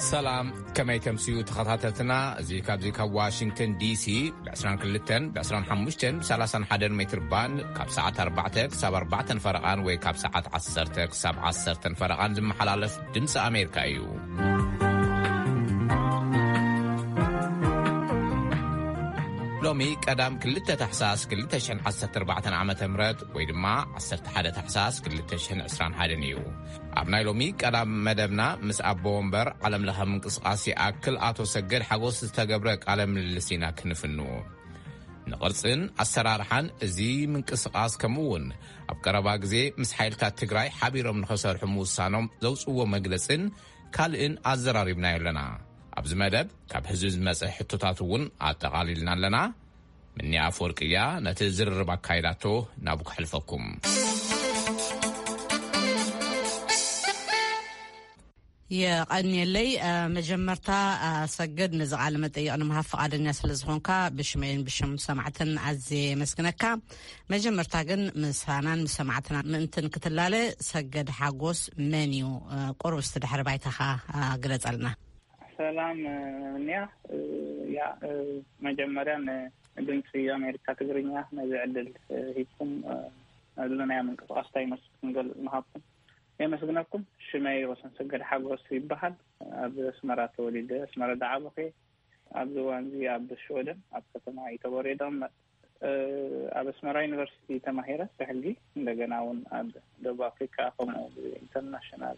ሰላም፣ ከመይ ተምስዩ ተኸታተልትና? እዚ ካብዚ ካብ ዋሽንግተን ዲሲ ብ22፣ ብ25፣ ብ31 ሜትር ባንድ ካብ ሰዓት ኣርባዕተ ክሳብ ኣርባዕተን ፈረቓን ወይ ካብ ሰዓት ዓሰርተ ክሳብ ዓሰርተን ፈረቓን ዝመሓላለፍ ድምፂ ኣሜሪካ እዩ። ሎሚ ቀዳም ክልተ ታሕሳስ ክልተ ሽሕን ዓሰርተ ኣርባዕተን ዓመተ ምህረት ወይ ድማ ዓሰርተ ሓደ ታሕሳስ ክልተ ሽሕን ዕስራን ሓደን እዩ። ኣብ ናይ ሎሚ ቀዳም መደብና ምስ ኣቦ ወንበር ዓለም ለኸ ምንቅስቃስ ይኣክል ኣቶ ሰገድ ሓጎስ ዝተገብረ ቃለ ምልልስ ኢና ክንፍኑ። ንቕርጽን ኣሰራርሓን እዚ ምንቅስቃስ ከምኡ እውን ኣብ ቀረባ ግዜ ምስ ሓይልታት ትግራይ ሓቢሮም ንኸሰርሑ ምውሳኖም ዘውፅዎ መግለጽን ካልእን ኣዘራሪብና ኣለና። ኣብዚ መደብ ካብ ህዝቢ ዝመጸ ሕቶታት እውን ኣጠቓሊልና ኣለና። ምኒ ኣፈወርቂ እያ ነቲ ዝርርብ ኣካይዳቶ። ናብ ከሕልፈኩም። የቐንየለይ። እ፣ መጀመርታ፣ እ፣ ሰገድ፣ ነዚ ቃለ መጠይቕ ንምሃብ ፍቓደኛ ስለ ዝኾንካ ብሽመይን ብሽም ሰማዕትን ኣዝየ የመስግነካ። መጀመርታ ግን ምሳናን ምስ ሰማዕትና ምእንትን ክትላለ፣ ሰገድ ሓጎስ መን እዩ? እ፣ ቁሩብ እስቲ ድሕሪ ባይታኻ፣ እ፣ ግለጸልና። ሰላም፣ እ፣ ምንያ፣ እ፣ ያ፣ እ፣ መጀመርያ ንድምፂ ኣሜሪካ ትግርኛ ነዚ ዕድል፣ እ፣ ሂብኩም፣ እ፣ ነዚ ናይ ምንቅስቃስ እንታይ ይመስል ክንገልፅ ምሃብኩም የመስግነኩም። ሽመይ ወሰን ሰገድ ሓጎስ ይበሃል። ኣብ ኣስመራ ተወሊደ፣ ኣስመራ ዝዓበኹ። ኣብዚ እዋን እዚ ኣብ ሽወደን ኣብ ከተማ ኢተቦሬ ይቕመጥ። እ፣ ኣብ ኣስመራ ዩኒቨርሲቲ ተማሂረ ብሕጊ፣ እንደገና እውን ኣብ ደቡብ ኣፍሪካ ከምኡ ኢንተርናሽናል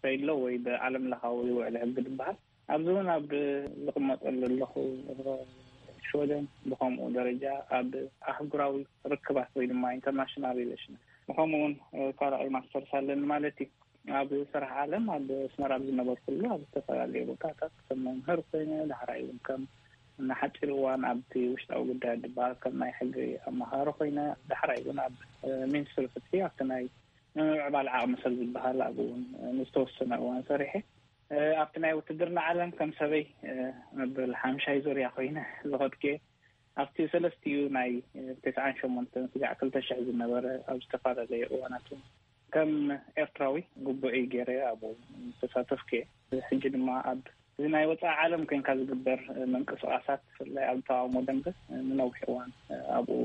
ትሬድ ሎ ወይ ብዓለም ለኻዊ ውዕል ሕጊ ዝበሃል ኣብዚ እውን ኣብ ዝቕመጠሉ ኣለኹ። ሽወደን ብኸምኡ ደረጃ ኣብ ኣህጉራዊ ርክባት ወይ ድማ ኢንተርናሽናል ሪሌሽን ብኸምኡ እውን ካልኣይ ማስተርስ ኣለኒ ማለት እዩ። ኣብ ስራሕ ዓለም ኣብ ኣስመራ ኣብ ዝነበርኩሉ ኣብ ዝተፈላለዩ ቦታታት ከም መምህር ኮይነ፣ ዳሕራይ እውን ከም ንሓፂር እዋን ኣብቲ ውሽጣዊ ጉዳይ ዝበሃል ከም ናይ ሕጊ ኣመኻሪ ኮይነ፣ ዳሕራይ እውን ኣብ ሚኒስትሪ ፍትሒ ኣብቲ ናይ ምምዕባል ዓቕሚ ሰብ ዝበሃል ኣብኡ እውን ንዝተወሰነ እዋን ሰሪሐ። ኣብቲ ናይ ውትድርና ዓለም ከም ሰበይ መበል ሓምሻይ ዙርያ ኮይነ ዝኸድኩ እየ። ኣብቲ ሰለስቲኡ ናይ ተስዓን ሸሞንተን ስጋዕ ክልተ ሽሕ ዝነበረ ኣብ ዝተፈላለየ እዋናት እውን ከም ኤርትራዊ ግቡእይ ገይረ ኣብኡ ዝተሳተፍኩ እየ። ሕጂ ድማ ኣብ እዚ ናይ ወፃኢ ዓለም ኮይንካ ዝግበር ምንቅስቃሳት ብፍላይ ኣብ ተቃውሞ ደንበ ንነዊሕ እዋን ኣብኡ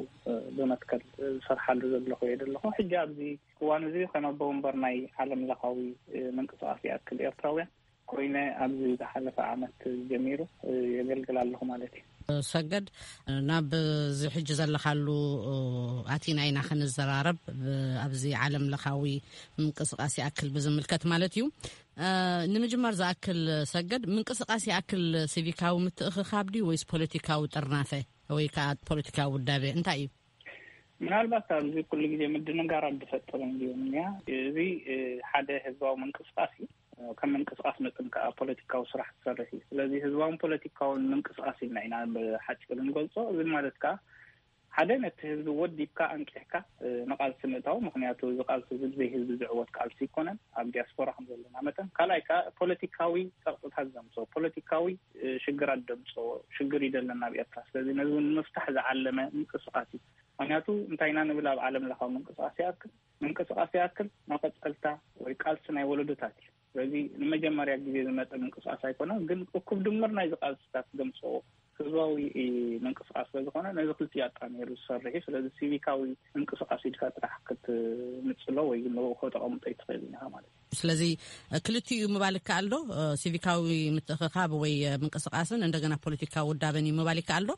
ብመትከል ዝሰርሓሉ ዘለኹ እየ ዘለኹ። ሕጂ ኣብዚ እዋን እዚ ከም ኣቦ ወንበር ናይ ዓለም ለኻዊ ምንቅስቃስ ይኣክል ኤርትራውያን ኮይነ ኣብዚ ዝሓለፈ ዓመት ጀሚሩ የገልግል ኣለኹ ማለት እዩ። ሰገድ፣ ናብ እዚ ሕጂ ዘለኻሉ ኣቲና ኢና ክንዘራረብ፣ ብ-፣ ኣብዚ ዓለም ለኻዊ ምንቅስቃስ ይኣክል ብዝምልከት ማለት እዩ። እ፣ ንምጅማር ዝኣክል ሰገድ፣ ምንቅስቃስ ይኣክል ሲቪካዊ ምትእኽኻብ ድዩ ወይስ ፖለቲካዊ ጥርናፈ ወይ ከዓ ፖለቲካዊ ውዳቤ እንታይ እዩ? ምናልባት ኣብዚ ኩሉ ግዜ ምድንጋራት ዝፈጥር እንድዩ እኒኣ። እዚ፣ እ፣ ሓደ ህዝባዊ ምንቅስቃስ እዩ። ከም ምንቅስቃስ መጠን ከዓ ፖለቲካዊ ስራሕ ትሰርሕ እዩ። ስለዚ ህዝባውን ፖለቲካውን ምንቅስቃስ ኢልና ኢና ብሓፂሩ ንገልፆ። እዚ ማለት ከዓ ሓደ ነቲ ህዝቢ ወዲብካ ኣንቂሕካ፣ እ፣ ንቃልሲ ምእታው። ምኽንያቱ እዚ ቃልሲ እዚ ብዘይ ህዝቢ ዝዕወት ቃልሲ ኣይኮነን፣ ኣብ ዲያስፖራ ከም ዘለና መጠን። ካልኣይ ከዓ ፖለቲካዊ ፀቕጥታት ዘምፅኦ፣ ፖለቲካዊ፣ እ፣ ሽግራት ዘምፅኦ ሽግር እዩ ዘለና ኣብ ኤርትራ። ስለዚ ነዚ እውን ንምፍታሕ ዝዓለመ ምንቅስቃስ እዩ። ምኽንያቱ እንታይ ኢና ንብል ኣብ ዓለም ለኻዊ ምንቅስቃስ ይኣክል፣ ምንቅስቃስ ይኣክል መቐጸልታ ወይ ቃልሲ ናይ ወለዶታት እዩ። ስለዚ ንመጀመርያ ግዜ ዝመጸ ምንቅስቃስ ኣይኮነን፣ ግን እኩብ ድምር ናይዚ ቃልስታት ዘምጽኦ ህዝባዊ ምንቅስቃስ ስለ ዝኾነ ነዚ ክልቲኡ ኣጣሚሩ ዝሰርሕ እዩ። ስለዚ ሲቪካዊ ምንቅስቃስ ኢልካ ጥራሕ ክትንጽሎ ወይ ግን ንብኡ ከተቐምጦ ኣይትኽእልን ኢኻ ማለት እዩ። ስለዚ ክልቲኡ ምባል ይከኣል ዶ? ሲቪካዊ ምትእኽኻብ ወይ ምንቅስቃስን እንደገና ፖለቲካዊ ውዳበን እዩ ምባል ይከኣል ዶ?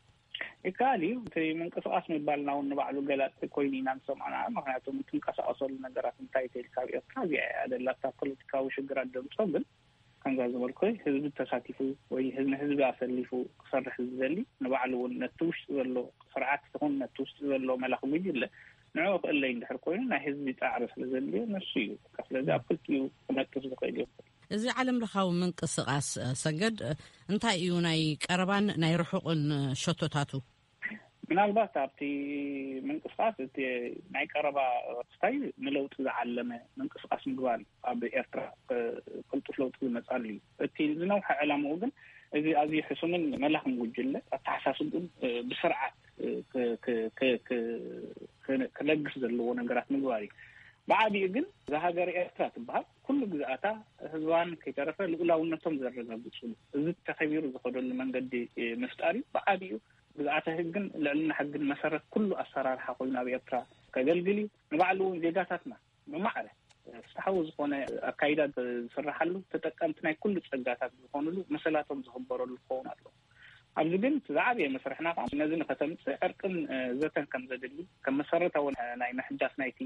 ይከኣል እዩ። እቲ ምንቅስቃስ ምባልና እውን ንባዕሉ ገላፂ ኮይኑ ኢና ንሰምዖ። ምክንያቱ እትንቀሳቀሰሉ ነገራት እንታይ ተይልካ ኣብ ኤርትራ እዚኣ እያ ደላታ ፖለቲካዊ ሽግራት ደምፆ። ግን ከምዛ ዝበልኩ ህዝቢ ተሳቲፉ ወይ ህዝቢ፣ ንህዝቢ ኣሰሊፉ ክሰርሕ ዝደሊ ንባዕሉ እውን ነቲ ውሽጢ ዘሎ ስርዓት ይኹን ነቲ ውሽጢ ዘሎ መላኺ ጉጅለ ንዕኡ ክእለይ እንድሕር ኮይኑ ናይ ህዝቢ ፃዕሪ ስለ ዘድልዮ ንሱ እዩ። በቃ ስለዚ ኣብ ክልቲኡ ክነጥፍ ዝኽእል እዩ። እዚ ዓለም ለኻዊ ምንቅስቃስ፣ እ፣ ሰገድ፣ እ፣ እንታይ እዩ ናይ ቀረባን ናይ ርሑቕን፣ እ፣ ሸቶታቱ? ምናልባት ኣብቲ ምንቅስቃስ እቲ ናይ ቀረባ ስታይ ንለውጢ ዝዓለመ ምንቅስቃስ ምግባር እዩ። ኣብ ኤርትራ፣ እ፣ ቅልጡፍ ለውጢ ዝመጻሉ እዩ። እቲ ዝነውሐ ዕላምኡ ግን እዚ ኣዝዩ ሕሱምን መላኽን ጉጅለ ኣተሓሳስብኡን፣ እ፣ ብስርዓት፣ እ፣ ክ-፣ ክ-፣ ክ-፣ ክ-፣ ክ-፣ ክለግስ ዘለዎ ነገራት ምግባር እዩ። ብዓቢኡ ግን እዛ ሃገር ኤርትራ ትበሃል ኩሉ ግዝኣታ ህዝባን ከይተረፈ ልኡላውነቶም ዘረጋግፅሉ፣ እዚ ተኸቢሩ ዝኸደሉ መንገዲ ምፍጣር እዩ። ብዓቢኡ ግዝኣተ ህግን ልዕልና ሕግን መሰረት ኩሉ ኣሰራርሓ ኮይኑ ኣብ ኤርትራ ከገልግል እዩ። ንባዕሉ እውን ዜጋታትና ብማዕረ ፍትሓዊ ዝኾነ ኣካይዳ ዝስራሓሉ፣ ተጠቀምቲ ናይ ኩሉ ጸጋታት ዝኾኑሉ መሰላቶም ዝኽበረሉ ክኸውን ኣለዎ። ኣብዚ ግን እቲ ዝዓበየ መስርሕና ከዓ ነዚ ንኸተምፅእ ዕርቅን ዘተን ከም ዘድሊ፣ ከም መሰረታዊ ናይ ምሕዳስ ናይቲ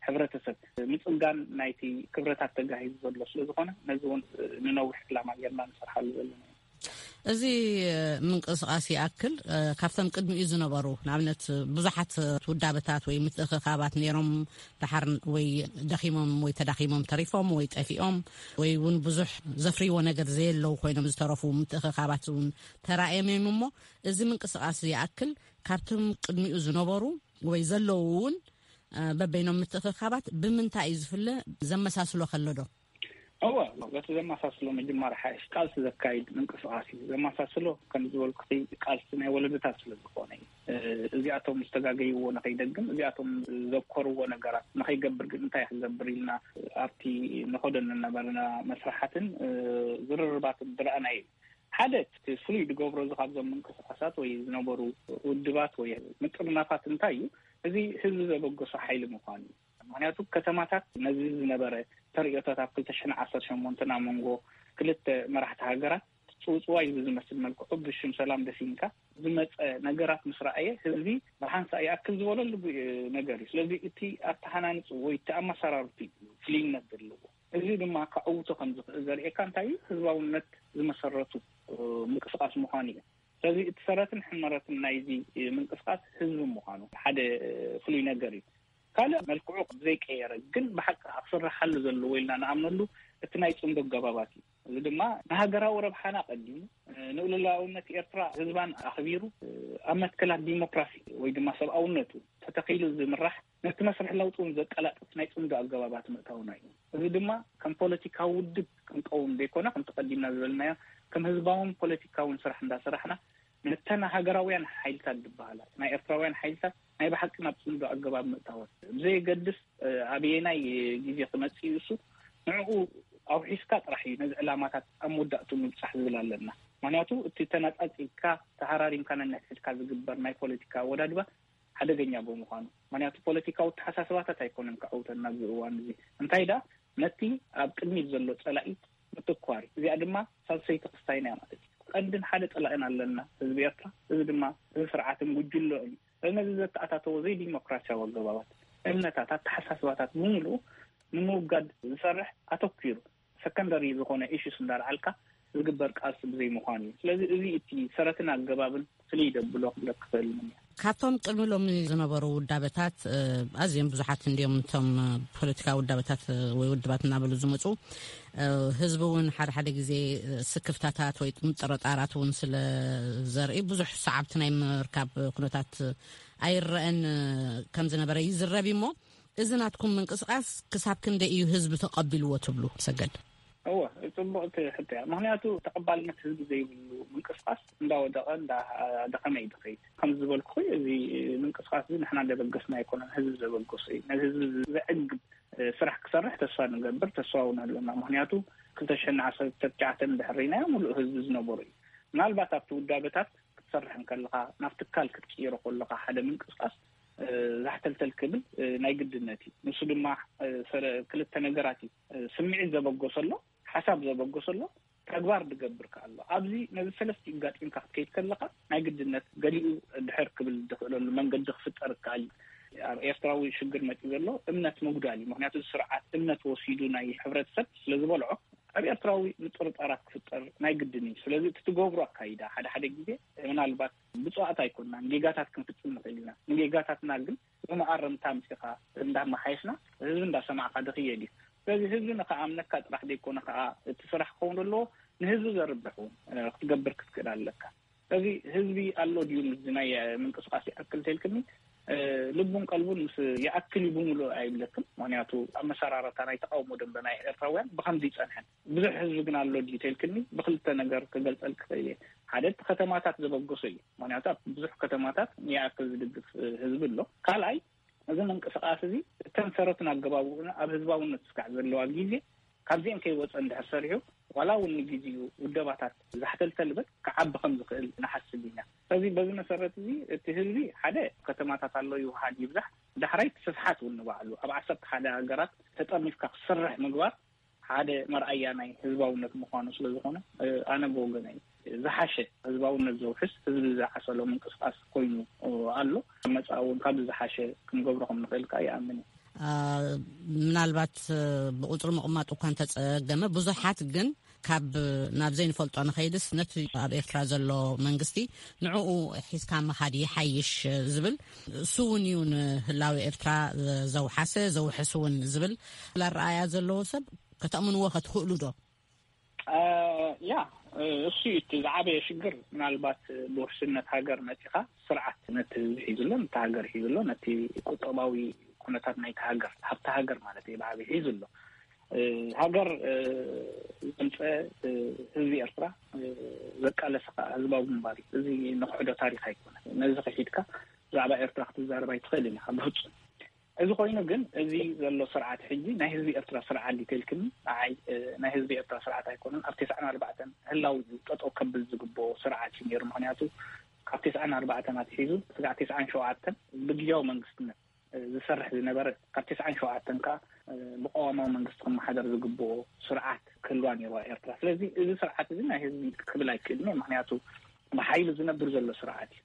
ሕብረተሰብ ምፅጋን ናይቲ ክብረታት ተጋሂዙ ዘሎ ስለ ዝኾነ፣ ነዚ እውን ንነዊሕ ዕላማ ጌርና ንሰርሓሉ ዘለና እዩ። እዚ ምንቅስቃስ ይኣክል ካብቶም ቅድሚኡ ዝነበሩ፣ ንኣብነት ብዙሓት ውዳበታት ወይ ምትእኽኻባት ነይሮም፣ ደሓር ወይ ደኺሞም ወይ ተዳኺሞም ተሪፎም ወይ ጠፊኦም ወይ እውን ብዙሕ ዘፍርይዎ ነገር ዘየለው ኮይኖም ዝተረፉ ምትእኽኻባት እውን ተራእዮም እዮም። እሞ እዚ ምንቅስቃስ ይኣክል ካብቶም ቅድሚኡ ዝነበሩ ወይ ዘለዉ እውን በበይኖም ምትእኽኻባት ብምንታይ እዩ ዝፍለ? ዘመሳስሎ ከሎ ዶ? እወ፣ በቲ ዘመሳስሎ ምጅማር ሓይሽ ቃልሲ ዘካይድ ምንቅስቃስ እዩ። ዘመሳስሎ ከም ዝበልኩ ቃልሲ ናይ ወለዶታት ስለ ዝኾነ እዩ። እዚኣቶም ዝተጋገይዎ ንኸይደግም፣ እዚኣቶም ዘኮርዎ ነገራት ንኸይገብር ግን እንታይ ክገብር ኢልና ኣብቲ ንኸዶ ንነበርና መስራሓትን ዝርርባትን ዝረኣናዩ ሓደ ፍሉይ ዝገብሮ እዚ ካብዞም ምንቅስቃሳት ወይ ዝነበሩ ውድባት ወይ ምጥርናፋት እንታይ እዩ? እዚ ህዝቢ ዘበገሶ ሓይሊ ምዃኑ እዩ። ምክንያቱ ከተማታት ነዚ ዝነበረ ተርእዮታት ኣብ ክልተ ሽሕን ዓሰርተ ሸሞንተን ኣብ መንጎ ክልተ መራሕቲ ሃገራት ፅውፅዋይ ብዝመስል መልክዑ ብሽም ሰላም ደፊንካ ዝመፀ ነገራት ምስ ረኣየ ህዝቢ ብሓንሳእ ይኣክል ዝበለሉ ነገር እዩ። ስለዚ እቲ ኣተሃናንፁ ወይ እቲ ኣመሰራርቱ ፍልይነት ዘለዎ፣ እዚ ድማ ከዕውቶ ከም ዝኽእል ዘርእየካ እንታይ እዩ? ህዝባውነት ዝመሰረቱ ምንቅስቃስ ምዃኑ እዩ። ስለዚ እቲ ሰረትን ሕመረትን ናይዚ ምንቅስቃስ ህዝቢ ምዃኑ ሓደ ፍሉይ ነገር እዩ። ካልእ መልክዑ ዘይቀየረ ግን ብሓቂ ክስረሓሉ ዘለዎ ኢልና ንኣምነሉ እቲ ናይ ፅምዶ ኣገባባት እዩ። እዚ ድማ ንሃገራዊ ረብሓና ቀዲሙ፣ ንልኡላውነት ኤርትራ ህዝባን ኣኽቢሩ፣ ኣብ መትከላት ዲሞክራሲ ወይ ድማ ሰብኣውነቱ ተተኺሉ ዝምራሕ፣ ነቲ መስርሕ ለውጢ እውን ዘቀላጥፍ ናይ ፅምዶ ኣገባባት ምእታውና እዩ። እዚ ድማ ከም ፖለቲካዊ ውድብ ክንቀውም ዘይኮነ፣ ከምቲ ቀዲምና ዝበልናዮ፣ ከም ህዝባውን ፖለቲካውን ስራሕ እንዳሰራሕና፣ ነተን ሃገራውያን ሓይልታት ዝበሃላ ናይ ኤርትራውያን ሓይልታት ናይ ብሓቂ ናብ ፅምዶ ኣገባብ ምእታወን፣ ብዘየገድስ ኣበየናይ ግዜ ክመፅእ እዩ፣ እሱ ንዕኡ ኣውሒስካ ጥራሕ እዩ ነዚ ዕላማታት ኣብ መወዳእቱ ምብፃሕ ዝብል ኣለና። ምክንያቱ እቲ ተነፃፂልካ ተሃራሪምካ ነንሕድሕድካ ዝግበር ናይ ፖለቲካ ኣወዳድባ ሓደገኛ ብምዃኑ፣ ምክንያቱ ፖለቲካዊ ተሓሳስባታት ኣይኮነን ክዕውተና ኣብዚ እዋን እዚ። እንታይ ደኣ ነቲ ኣብ ቅድሚት ዘሎ ፀላኢ ምትኳር እዩ። እዚኣ ድማ ሳልሰይቲ ክስታይና እያ ማለት እዩ። ቀንድን ሓደ ፀላእን ኣለና ህዝቢ ኤርትራ። እዚ ድማ እዚ ስርዓትን ጉጅሎን እዩ። ነዚ ዘተኣታተዎ ዘይዲሞክራሲያዊ ኣገባባት፣ እምነታት፣ ኣተሓሳስባታት ብምሉኡ ንምውጋድ ዝሰርሕ ኣተኪሩ ሰከንደሪ ዝኾነ ኢሹስ እንዳልዓልካ ዝግበር ቃልሲ ብዘይምዃኑ እዩ። ስለዚ እዚ እቲ ሰረትን ኣገባብን ፍልይ ደብሎ ክብለክ ክኽእል እየ። ካብቶም ቅድሚ ሎሚ ዝነበሩ ውዳበታት ኣዝዮም ብዙሓት እንዲዮም። እቶም ፖለቲካዊ ውዳበታት ወይ ውድባት እናበሉ ዝመፁ ህዝቢ እውን ሓደ ሓደ ግዜ ስክፍታታት ወይ ጥርጣራት እውን ስለ ዘርኢ ብዙሕ ሰዓብቲ ናይ ምርካብ ኩነታት ኣይረአን ከም ዝነበረ ይዝረብ እሞ፣ እዚ ናትኩም ምንቅስቃስ ክሳብ ክንደይ እዩ ህዝቢ ተቐቢልዎ ትብሉ? ሰገድ። እወ፣ ፅቡቕቲ ሕቶ እያ። ምክንያቱ ተቐባልነት ህዝቢ ዘይብሉ ምንቅስቃስ እንዳወደቐ እንዳደኸመ እዩ ዝኸይድ። ከም ዝበልኩ፣ እዚ ምንቅስቃስ እዚ ንሕና ዘበገስና ኣይኮነን፣ ህዝቢ ዘበገሶ እዩ። ነዚ ህዝቢ ዘዕግብ ስራሕ ክሰርሕ ተስፋ ንገብር፣ ተስፋ እውን ኣለና። ምክንያቱ ክልተ ሽሕን ዓሰርተ ትሽዓተን ድሕሪናዮ ሙሉእ ህዝቢ ዝነበሩ እዩ። ምናልባት ኣብቲ ውዳበታት ክትሰርሕ እንከለኻ፣ ናብ ትካል ክትቅይሮ ከለኻ ሓደ ምንቅስቃስ ዛሕተልተል ክብል ናይ ግድነት እዩ። ንሱ ድማ ክልተ ነገራት እዩ። ስምዒት ዘበገሰሎ፣ ሓሳብ ዘበገሰሎ፣ ተግባር ዝገብር ከኣሎ። ኣብዚ ነዚ ሰለስቲኡ ጋጢምካ ክትከይድ ከለኻ ናይ ግድነት ገሊኡ ድሕር ክብል ዝኽእለሉ መንገዲ ክፍጠር ይከኣል እዩ። ኣብ ኤርትራዊ ሽግር መፂኡ ዘሎ እምነት ምጉዳል እዩ። ምክንያቱ ስርዓት እምነት ወሲዱ ናይ ሕብረተሰብ ስለ ዝበልዖ ኣብ ኤርትራዊ ምጥርጣራት ክፍጠር ናይ ግድን እዩ። ስለዚ እቲ ትገብሮ ኣካይዳ ሓደ ሓደ ግዜ ምናልባት ብፁዓት ኣይኮንናን፣ ጌጋታት ክንፍፅም ንኽእል ኢና። ንጌጋታትና ግን ብመኣረምታ ኣምፂኻ እንዳመሓየሽና ህዝቢ እንዳሰማዕካ ዝኽየድ እዩ። ስለዚ ህዝቢ ንኽኣምነካ ጥራሕ ዘይኮነ ከዓ እቲ ስራሕ ክኸውን ዘለዎ ንህዝቢ ዘርብሕ እውን ክትገብር ክትክእል ኣለካ። ስለዚ ህዝቢ ኣሎ ድዩ ምስዚ ናይ ምንቅስቃስ ይኣክል ተልክኒ ልቡን ቀልቡን ምስ ይኣክል እዩ ብምሉእ ኣይብለክን። ምክንያቱ ኣመሰራረታ ናይ ተቃውሞ ደንበ ናይ ኤርትራውያን ብከምዚ ይፀንሐን። ብዙሕ ህዝቢ ግን ኣሎ ድዩ ተልክኒ ብክልተ ነገር ክገልፀል ክኽእል እየ። ሓደ እቲ ከተማታት ዘበገሶ እዩ። ምክንያቱ ኣብ ብዙሕ ከተማታት ይኣክል ዝድግፍ ህዝቢ ኣሎ። ካልኣይ እዚ ምንቅስቃስ እዚ እተን ትረትን ኣገባብኡን ኣብ ህዝባውነት ስካዕ ዘለዋ ግዜ ካብዚኦም ከይወፀ እንድሕር ሰሪሑ ዋላ እውን ንግዜኡ ውደባታት ዛሕተልተል በል ክዓቢ ከም ዝኽእል ንሓስብ ኢና። ስለዚ በዚ መሰረት እዚ እቲ ህዝቢ ሓደ ከተማታት ኣሎ ይውሃድ ይብዛሕ ዳሕራይ ስፍሓት እውን ንባዕሉ ኣብ ዓሰርተ ሓደ ሃገራት ተጠርኒፍካ ክሰርሕ ምግባር ሓደ መርኣያ ናይ ህዝባውነት ምዃኑ ስለ ዝኾነ ኣነ ብወገነይ ዝሓሸ ህዝባውነት ዘውሕስ ህዝቢ ዝዓሰሎ ምንቅስቃስ ኮይኑ ኣሎ። መፃ እውን ካብ ዝሓሸ ክንገብሮ ከም ንኽእል ከዓ ይኣምን። ምናልባት ብቁፅሪ ምቕማጥ እኳ እንተፀገመ ብዙሓት ግን ካብ ናብ ዘይንፈልጦ ንኸይድስ ነቲ ኣብ ኤርትራ ዘሎ መንግስቲ ንዕኡ ሒዝካ ምኻድ ይሓይሽ ዝብል እሱ እውን እዩ ንህላዊ ኤርትራ ዘውሓሰ ዘውሕስ እውን ዝብል ኣረኣያ ዘለዎ ሰብ ከተእምንዎ ከትኽእሉ ዶ? ያ እሱ እቲ ዝዓበየ ሽግር ምናልባት ብውሕስነት ሃገር መፂኻ ስርዓት ነቲ ህዝቢ ሒዙሎ ነቲ ሃገር ሒዙሎ ነቲ ቁጠባዊ ኩነታት ናይቲ ሃገር ሃብቲ ሃገር ማለት እዩ ብዓበይ ሒዙሎ። ሃገር ዘምፀ ህዝቢ ኤርትራ ዘቃለሰ ከዓ ህዝባዊ ግንባር እዩ። እዚ ንክሕዶ ታሪክ ኣይኮነ። ነዚ ክሒድካ ብዛዕባ ኤርትራ ክትዛረብ ኣይትኽእልን ኢኻ ብፍፁም። እዚ ኮይኑ ግን እዚ ዘሎ ስርዓት ሕጂ ናይ ህዝቢ ኤርትራ ስርዓት ዲተልክኒ ንዓይ ናይ ህዝቢ ኤርትራ ስርዓት ኣይኮነን። ኣብ ተስዓን ኣርባዕተን ህላዊ ጠጠው ከብል ዝግብኦ ስርዓት እዩ ነይሩ። ምክንያቱ ካብ ተስዓን ኣርባዕተን ኣትሒዙ ስጋዕ ተስዓን ሸውዓተን ብግያዊ መንግስትነት ዝሰርሕ ዝነበረ ካብ ተስዓን ሸውዓተን ከዓ ብቀዋማዊ መንግስቲ ክመሓደር ዝግብኦ ስርዓት ክህልዋ ነይርዋ ኤርትራ። ስለዚ እዚ ስርዓት እዚ ናይ ህዝቢ ክብል ኣይክእልን እየ። ምክንያቱ ብሓይሊ ዝነብር ዘሎ ስርዓት እዩ።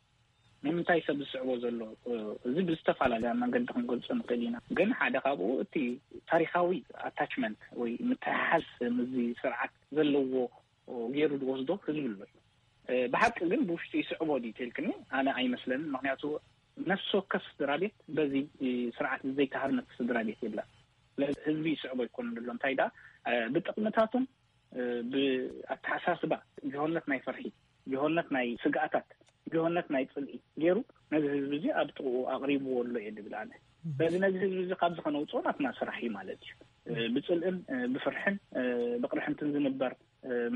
ንምንታይ ሰብ ዝስዕቦ ዘሎ እዚ ብዝተፈላለየ መንገዲ ክንገልፆ ንኽእል ኢና። ግን ሓደ ካብኡ እቲ ታሪካዊ ኣታችመንት ወይ ምትሕሓዝ ምስዚ ስርዓት ዘለዎ ገይሩ ዝወስዶ ህዝቢ ኣሎ እዩ። ብሓቂ ግን ብውሽጢ ይስዕቦ ድዩ ተልክኒ ኣነ ኣይመስለንን። ምክንያቱ ነፍሲ ወከፍ ስድራ ቤት በዚ ስርዓት ዘይተሃርመት ስድራ ቤት የብላን። ስለዚ ህዝቢ ይስዕቦ ኣይኮነን ዘሎ እንታይ ደኣ ብጥቕምታቱን ብኣተሓሳስባ ጅሆነት ናይ ፍርሒ፣ ጅሆነት ናይ ስግኣታት፣ ጅሆነት ናይ ፅልኢ ገይሩ ነዚ ህዝቢ እዚ ኣብ ጥቕኡ ኣቕሪብዎ ኣሎ እየ ድብል ኣነ። ስለዚ ነዚ ህዝቢ እዚ ካብዚ ከነውፅኦ ናትና ስራሕ እዩ ማለት እዩ። ብፅልእን ብፍርሕን ብቕርሕንትን ዝንበር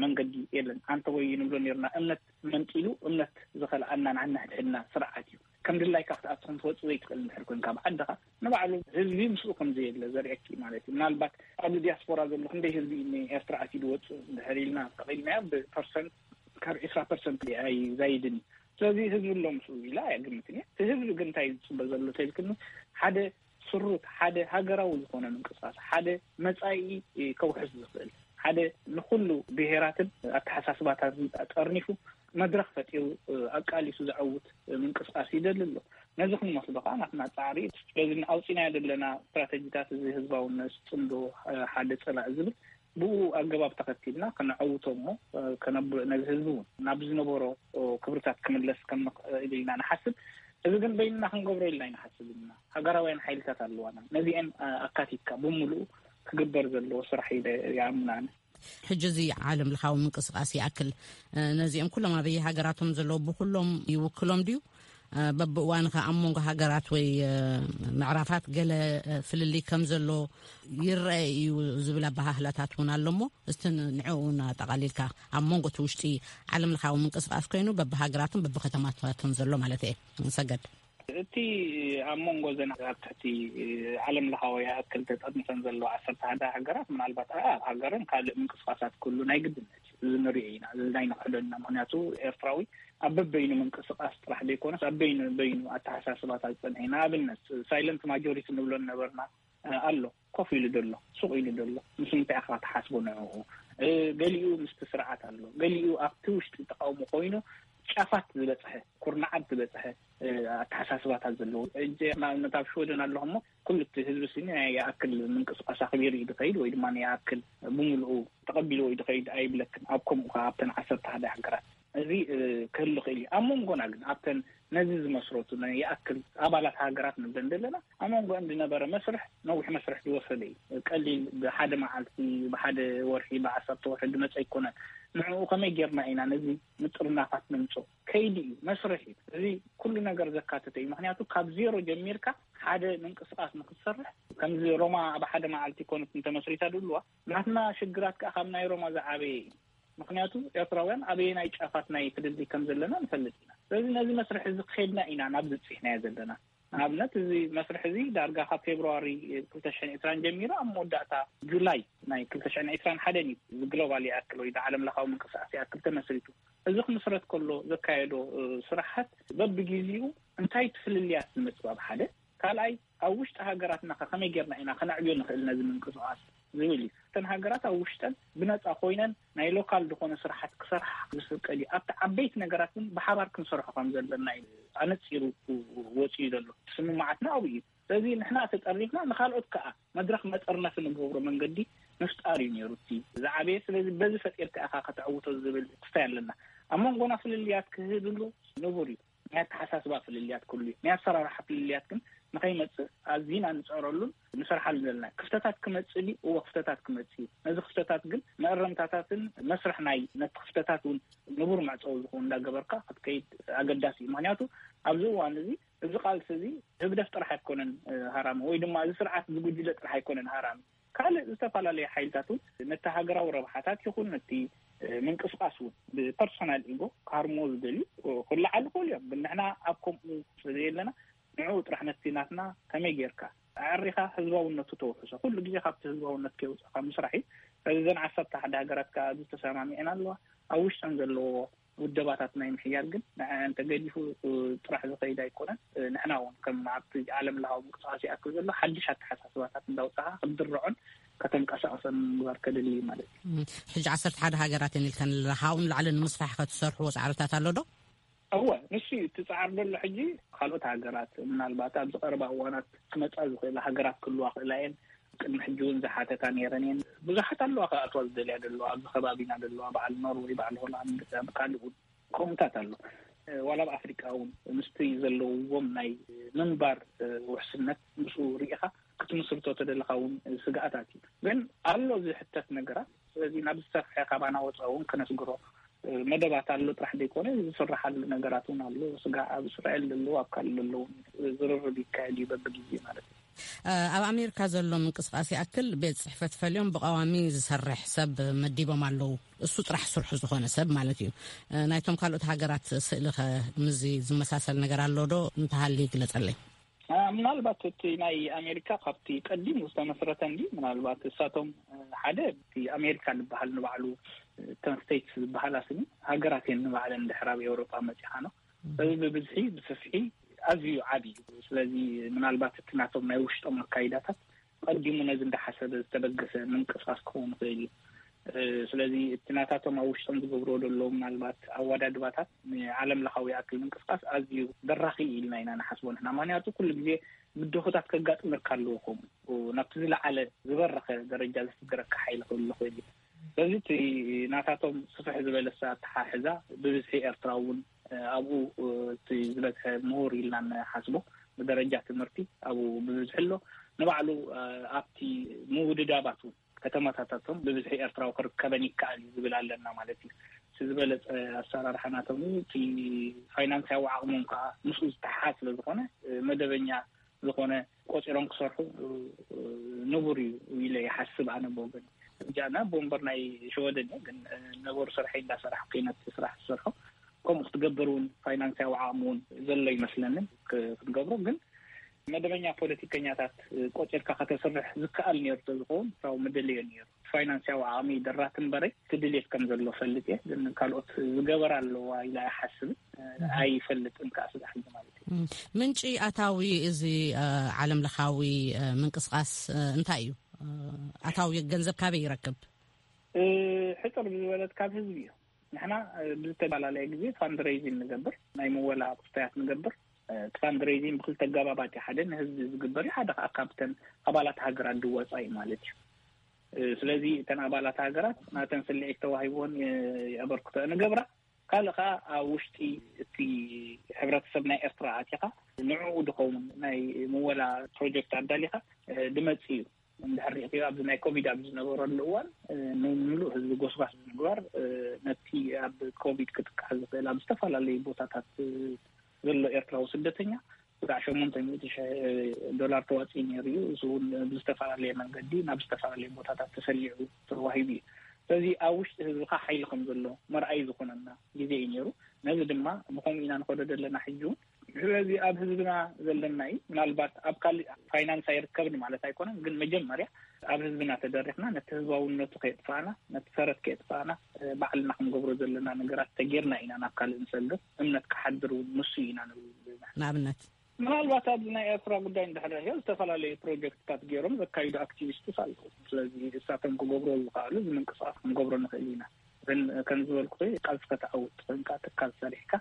መንገዲ የለን። ኣንተ ወይ ንብሎ ነርና እምነት መንጢሉ እምነት ዝኸልኣና ንዓና ሕድሕድና ስርዓት እዩ። ከም ድላይካ ክትኣትኹም ትወፅእ ዘይትኽእል እንድሕር ኮይንካ ብዓድኻ ንባዕሉ ህዝቢ ምስኡ ከም ዘየለ ዘርእየኪ ማለት እዩ። ምናልባት ኣብዚ ዲያስፖራ ዘሎ ክንደይ ህዝቢ እዩ ኤርትራ ኣትዩ ዝወፅእ እንድሕር ኢልና ተቐኢልናዮ ብፐርሰንት ካብ ዕስራ ፐርሰንት ኣይዛይድን እዩ። ስለዚ ህዝቢ ኣሎ ምስኡ ኢላ ኣይግምትን እየ። እቲ ህዝቢ ግን እንታይ ዝፅበ ዘሎ ተልክኒ ሓደ ስሩት ሓደ ሃገራዊ ዝኾነ ምንቅስቃስ ሓደ መፃኢ ከውሕስ ዝኽእል ሓደ ንኩሉ ብሄራትን ኣተሓሳስባታትን ጠርኒፉ መድረክ ፈጢሩ ኣቃሊሱ ዘዐውት ምንቅስቃስ ይደሊ ኣሎ። ነዚ ክንመስሎ ከዓ ናትና ፃዕሪ በዚ ኣውፂናዮ ዘለና ስትራተጂታት እዚ ህዝባውነት ፅምዶ ሓደ ፀላእ ዝብል ብኡ ኣገባብ ተኸቲልና ከነዐውቶ እሞ ነዚ ህዝቢ እውን ናብ ዝነበሮ ክብርታት ክምለስ ከም ንኽእል ኢልና ንሓስብ። እዚ ግን በይንና ክንገብሮ ኢልና ኣይንሓስብ ኢና። ሃገራውያን ሓይልታት ኣለዋና። ነዚአን ኣካቲትካ ብምሉኡ ክግበር ዘለዎ ስራሕ ኢለ ይኣምን ኣነ። ሕጂ እዚ ዓለም ለኻዊ ምንቅስቃስ ይኣክል ነዚኦም ኩሎም ኣበየ ሃገራቶም ዘለዉ ብኩሎም ይውክሎም ድዩ? በብእዋን ከ ኣብ መንጎ ሃገራት ወይ ምዕራፋት ገለ ፍልልይ ከም ዘሎ ይረአ እዩ ዝብል ኣበሃህላታት እውን ኣሎ እሞ እስቲ ንዕኡ እውን ኣጠቓሊልካ ኣብ መንጎ እቲ ውሽጢ ዓለም ለኻዊ ምንቅስቃስ ኮይኑ በብሃገራትን በብከተማታትን ዘሎ ማለት እየ። ንሰገድ እቲ ኣብ መንጎ ዘን ኣብ ትሕቲ ዓለም ለኻዊ ይኣክል ተጠርኒፈን ዘለዋ ዓሰርተ ሓደ ሃገራት ምናልባት ኣብ ሃገርን ካልእ ምንቅስቃሳት ክህሉ ናይ ግድነት እዩ። እዚ ንሪኦ ኢና። እዚ ናይ ንክሕዶ ኢና። ምክንያቱ ኤርትራዊ ኣብ በበይኑ ምንቅስቃስ ጥራሕ ዘይኮነስ ኣብ በይኑ በይኑ ኣተሓሳስባታት ዝፀንሐ እዩ። ንኣብነት ሳይለንት ማጆሪቲ ንብሎ ነበርና ኣሎ። ኮፍ ኢሉ ደሎ ሱቕ ኢሉ ደሎ ምስ ምንታይ ኢኻ ትሓስቦ ንዕኡ? ገሊኡ ምስቲ ስርዓት ኣሎ፣ ገሊኡ ኣብቲ ውሽጢ ተቃውሞ ኮይኑ ጫፋት ዝበፅሐ ኩርናዓት ዝበፅሐ ኣተሓሳስባታት ዘለዎ እጀ ንኣብነት ኣብ ሽወደን ኣለኹ እሞ ኩሉ እቲ ህዝቢ ስኒ ናይ ይኣክል ምንቅስቃስ ኣኽቢሩ እዩ ዝኸይድ ወይ ድማ ይኣክል ብምልኡ ተቐቢልዎ እዩ ዝኸይድ ኣይብለክን። ኣብ ከምኡ ከዓ ኣብተን ዓሰርተ ሓደ ሃገራት እዚ ክህሉ ክእል እዩ። ኣብ መንጎና ግን ኣብተን ነዚ ዝመስረቱ ናይ ይኣክል ኣባላት ሃገራት ንብለን ዘለና ኣብ መንጎ እንድነበረ መስርሕ ነዊሕ መስርሕ ዝወሰደ እዩ። ቀሊል ብሓደ መዓልቲ ብሓደ ወርሒ ብዓሰርተ ወርሒ ዝመፀ ኣይኮነን። ንዕኡ ከመይ ጌርና ኢና ነዚ ምጥርናፋት ነምፅኦ? ከይዲ እዩ፣ መስርሕ እዩ። እዚ ኩሉ ነገር ዘካተተ እዩ። ምክንያቱ ካብ ዜሮ ጀሚርካ ሓደ ምንቅስቃስ ንክትሰርሕ ከምዚ ሮማ ኣብ ሓደ መዓልቲ ኮነት እንተመስሪታ ድብልዋ ናትና ሽግራት ከዓ ካብ ናይ ሮማ ዝዓበየ እዩ። ምክንያቱ ኤርትራውያን ኣበየናይ ጫፋት ናይ ፍልልይ ከም ዘለና ንፈልጥ ኢና። ስለዚ ነዚ መስርሕ እዚ ክኸድና ኢና ናብ ዝፅሕናዮ ዘለና። ንኣብነት፣ እዚ መስርሕ እዚ ዳርጋ ካብ ፌብርዋሪ ክልተ ሽሕን ዕስራን ጀሚሩ ኣብ መወዳእታ ጁላይ ናይ ክልተ ሽሕን ዕስራን ሓደን እዩ እዚ ግሎባል ይኣክል ወይ ዓለም ለኻዊ ምንቅስቃስ ይኣክል ተመስሪቱ። እዚ ክምስረት ከሎ ዘካየዶ ስራሓት በብግዜኡ እንታይ ፍልልያት ዝመፅእ ኣብ ሓደ፣ ካልኣይ ኣብ ውሽጢ ሃገራትና ከ ከመይ ጌርና ኢና ከነዕብዮ ንኽእል ነዚ ምንቅስቃስ ዝብል እዩ። እተን ሃገራት ኣብ ውሽጠን ብነፃ ኮይነን ናይ ሎካል ዝኾነ ስራሓት ክሰርሓ ዝፍቀድ እዩ። ኣብቲ ዓበይቲ ነገራት ግን ብሓባር ክንሰርሖ ከም ዘለና እዩ ኣነፂሩ ወፂኡ ዘሎ። ስምምዓትና ኣብኡ እዩ። ስለዚ ንሕና ተጠሪፍና ንካልኦት ከዓ መድረኽ መጠርነፊ ንገብሮ መንገዲ ምፍጣር እዩ ነይሩ እቲ ዝዓበየ። ስለዚ በዚ ፈጢርካ ኢኻ ከተዕውቶ ዝብል ትስታይ ኣለና። ኣብ መንጎና ፍልልያት ክህልሉ ንቡር እዩ። ናይ ኣተሓሳስባ ፍልልያት ክህሉ እዩ። ናይ ኣሰራርሓ ፍልልያት ግን ንኸይመፅእ ኣዚና ንፅዕረሉን ንሰርሓሉ ዘለና። ክፍተታት ክመፅእ ድዩ? እወ፣ ክፍተታት ክመፅእ እዩ። ነዚ ክፍተታት ግን መእረምታታትን መስርሕ ናይ ነቲ ክፍተታት እውን ንቡር መዕፀዊ ዝኸውን እንዳገበርካ ክትከይድ ኣገዳሲ እዩ። ምክንያቱ ኣብዚ እዋን እዚ፣ እዚ ቃልሲ እዚ ህግደፍ ጥራሕ ኣይኮነን ሃራሚ፣ ወይ ድማ እዚ ስርዓት ዝጉጅለ ጥራሕ ኣይኮነን ሃራሚ። ካልእ ዝተፈላለዩ ሓይልታት እውን ነቲ ሃገራዊ ረብሓታት ይኹን ነቲ ምንቅስቃስ እውን ብፐርሶናል ኢጎ ክሃርምዎ ዝደልዩ ክለዓሉ ክእሉ እዮም። ግን ንሕና ኣብ ከምኡ ስለዘየለና ንዕኡ ጥራሕ ነቲ ናትና ከመይ ጌርካ ኣዕሪኻ ህዝባውነቱ ተውሕሶ። ኩሉ ግዜ ካብቲ ህዝባውነት ከይውፅእካ ምስራሕ እዩ። ስለዚ እዘን ዓሰርተ ሓደ ሃገራት ከዓ ኣብዚ ተሰማሚዐን ኣለዋ። ኣብ ውሽጠን ዘለዎ ውደባታት ናይ ምሕያል ግን ንዐ እንተገዲፉ ጥራሕ ዝኸይድ ኣይኮነን። ንሕና እውን ከም ኣብቲ ዓለም ለኻዊ ምንቅስቃስ ይኣክል ዘሎ ሓድሽ ኣተሓሳስባታት እንዳውፃኻ ክትድርዖን ከተንቀሳቕሰን ምግባር ከድሊ እዩ ማለት እዩ። ሕጂ ዓሰርተ ሓደ ሃገራት እየን ኢልከን ኣለኻ። ካብኡ ንላዕሊ ንምስራሕ ከ ትሰርሕዎ ፃዕርታት ኣሎ ዶ? እወ፣ ንሱ እዩ እቲ ፃዕሪ ዘሎ። ሕጂ ካልኦት ሃገራት ምናልባት ኣብዚ ቀረባ እዋናት ክመፃ ዝኽእላ ሃገራት ክህልዋ ክእላ እየን። ቅድሚ ሕጂ እውን ዝሓተታ ነይረን እየን። ብዙሓት ኣለዋ ክኣትዋ ዝደልያ ዘለዋ፣ ኣብዚ ከባቢና ዘለዋ፣ በዓል ኖርወይ፣ በዓል ሆላንድ፣ ኣብ ካልእ እውን ከምኡታት ኣሎ። ዋላ ኣብ ኣፍሪቃ እውን ምስቲ ዘለውዎም ናይ ምንባር ውሕስነት ምስኡ ርኢኻ ክትምስርቶ ተደለኻ እውን ስግኣታት እዩ። ግን ኣሎ ዝሕተት ነገራት። ስለዚ ናብ ዝሰፍሐ ካባና ወፃ እውን ከነስግሮ መደባት ኣሎ ጥራሕ ዘይኮነ ዝስራሓሉ ነገራት እውን ኣሎ። ስጋ ኣብ እስራኤል ዘለዉ ኣብ ካልእ ዘለዉ ዝርርብ ይካየድ እዩ በብግዜ ማለት እዩ። ኣብ ኣሜሪካ ዘሎ ምንቅስቃስ ይኣክል ቤት ጽሕፈት ፈልዮም ብቀዋሚ ዝሰርሕ ሰብ መዲቦም ኣለዉ። እሱ ጥራሕ ስርሑ ዝኾነ ሰብ ማለት እዩ። ናይቶም ካልኦት ሃገራት ስእሊ ኸ ምዚ ዝመሳሰል ነገር ኣሎ ዶ? እንተሃልዩ ግለጸለይ። ምናልባት እቲ ናይ ኣሜሪካ ካብቲ ቀዲሙ ዝተመስረተ እንዲ ምናልባት እሳቶም ሓደ እቲ ኣሜሪካ ዝበሃል ንባዕሉ እተን ስቴትስ ዝበሃላ ስኒ ሃገራት እየን ንባዕለን ድሕር ኣብ ኤውሮጳ መፂኻ ነው። እዚ ብብዝሒ ብስፍሒ ኣዝዩ ዓብዪ እዩ። ስለዚ ምናልባት እቲ ናቶም ናይ ውሽጦም ኣካይዳታት ቀዲሙ ነዚ እንዳሓሰበ ዝተበገሰ ምንቅስቃስ ክኸውን ይኽእል እዩ። ስለዚ እቲ ናታቶም ኣብ ውሽጦም ዝገብርዎ ዘለዉ ምናልባት ኣወዳድባታት ንዓለም ለኻዊ ይኣክል ምንቅስቃስ ኣዝዩ በራኺ ኢልና ኢና ንሓስቦ ንሕና። ምክንያቱ ኩሉ ግዜ ብድሆታት ከጋጥመካ ኣለዎ። ከምኡ ናብቲ ዝለዓለ ዝበረኸ ደረጃ ዘስግረካ ሓይሊ ክህሉ ይኽእል እዩ። ስለዚ እቲ ናታቶም ስፍሕ ዝበለሰ ኣተሓሕዛ ብብዝሒ ኤርትራ እውን ኣብኡ እቲ ዝበዝሐ ምሁር ኢልና ንሓስቦ ብደረጃ ትምህርቲ ኣብኡ ብብዝሒ ኣሎ። ንባዕሉ ኣብቲ ምውድዳባት እውን ከተማታታቶም ብብዝሒ ኤርትራዊ ክርከበን ይከኣል እዩ ዝብል ኣለና ማለት እዩ። እቲ ዝበለፀ ኣሰራርሓ ናቶም እዩ። እቲ ፋይናንሳዊ ዓቕሞም ከዓ ምስኡ ዝተሓሓዝ ስለ ዝኾነ መደበኛ ዝኾነ ቆፂሮም ክሰርሑ ንቡር እዩ ኢለ ይሓስብ ኣነ ብወገን። እጃና ቦምበር ናይ ሸወደን እየ፣ ግን ነበሩ ስርሐይ እንዳሰራሕኩ ነቲ ስራሕ ዝሰርሖ። ከምኡ ክትገብር እውን ፋይናንሳዊ ዓቕሚ እውን ዘሎ ይመስለንን ክ- ክትገብሮ። ግን መደበኛ ፖለቲከኛታት ቆፂርካ ከተስርሕ ዝከኣል ነይሩ ተዝኸውን ካብኡ ምደለዮ ነይሩ። ፋይናንሳዊ ዓቕሚ ደራት እምበረይ ትድልየት ከም ዘሎ ፈልጥ እየ። ግን ካልኦት ዝገበራ ኣለዋ ኢላ ኣይሓስብን፣ ኣይፈልጥን ከዓ ስጋሕ ማለት እዩ። ምንጪ ኣታዊ እዚ ዓለም ለኻዊ ምንቅስቃስ እንታይ እዩ? ኣታዊ ገንዘብ ካበይ ይረክብ? ሕፅር ብዝበለት ካብ ህዝቢ እዩ። ንሕና ብዝተፈላለየ ግዜ ፋንድሬይዚን ንገብር፣ ናይ ምወላ ቁስታያት ንገብር። እቲ ፋንድሬይዚን ብክልተ ገባባት እዩ። ሓደ ንህዝቢ ዝግበር እዩ፣ ሓደ ከዓ ካብተን ኣባላት ሃገራት ድወፃ እዩ ማለት እዩ። ስለዚ እተን ኣባላት ሃገራት ናተን ስልዒት ተዋሂብዎን የበርክቶ ንገብራ። ካልእ ከዓ ኣብ ውሽጢ እቲ ሕብረተሰብ ናይ ኤርትራ ኣቲኻ ንዕኡ ድኸውን ናይ ምወላ ፕሮጀክት ኣዳሊኻ ድመፅ እዩ። እንድሕር ሪእክዮ ኣብዚ ናይ ኮቪድ ኣብ ዝነበረሉ እዋን ንምሉእ ህዝቢ ጎስጓስ ብምግባር ነቲ ኣብ ኮቪድ ክጥቃዕ ዝኽእል ኣብ ዝተፈላለዩ ቦታታት ዘሎ ኤርትራዊ ስደተኛ ብዛዕ ሸሞንተ ሚእቲ ሽሕ ዶላር ተዋፂኡ ነይሩ እዩ። እሱ እውን ብዝተፈላለየ መንገዲ ናብ ዝተፈላለየ ቦታታት ተሰሊዑ ተዋሂቡ እዩ። ስለዚ ኣብ ውሽጢ ህዝብካ ሓይሊ ከም ዘሎ መርኣይ ዝኾነና ግዜ እዩ ነይሩ። ነዚ ድማ ብከምኡ ኢና ንኸዶ ዘለና። ሕጂ እውን ስለዚ ኣብ ህዝብና ዘለና እዩ። ምናልባት ኣብ ካልእ ፋይናንስ ኣይርከብን ማለት ኣይኮነን፣ ግን መጀመርያ ኣብ ህዝብና ተደሪኽና ነቲ ህዝባውነቱ ከየጥፋእና፣ ነቲ ሰረት ከየጥፋእና፣ ባዕልና ክንገብሮ ዘለና ነገራት ተጌርና ኢና ናብ ካልእ ንሰግር። እምነት ክሓድር እውን ንሱ ኢና ንብል። ንኣብነት? ምናልባት ኣብዚ ናይ ኤርትራ ጉዳይ እንድሕር ርኢዮ፣ ዝተፈላለዩ ፕሮጀክትታት ገይሮም ዘካይዱ ኣክቲቪስትስ ኣለዉ። ስለዚ እሳቶም ክገብርዎ ዝኽኣሉ እዚ ምንቅስቃስ ክንገብሮ ንኽእል ኢና። ግን ከም ዝበልኩ፣ ቃልሲ ከተዓውት ኮይንካ፣ ትካል ሰሪሕካ፣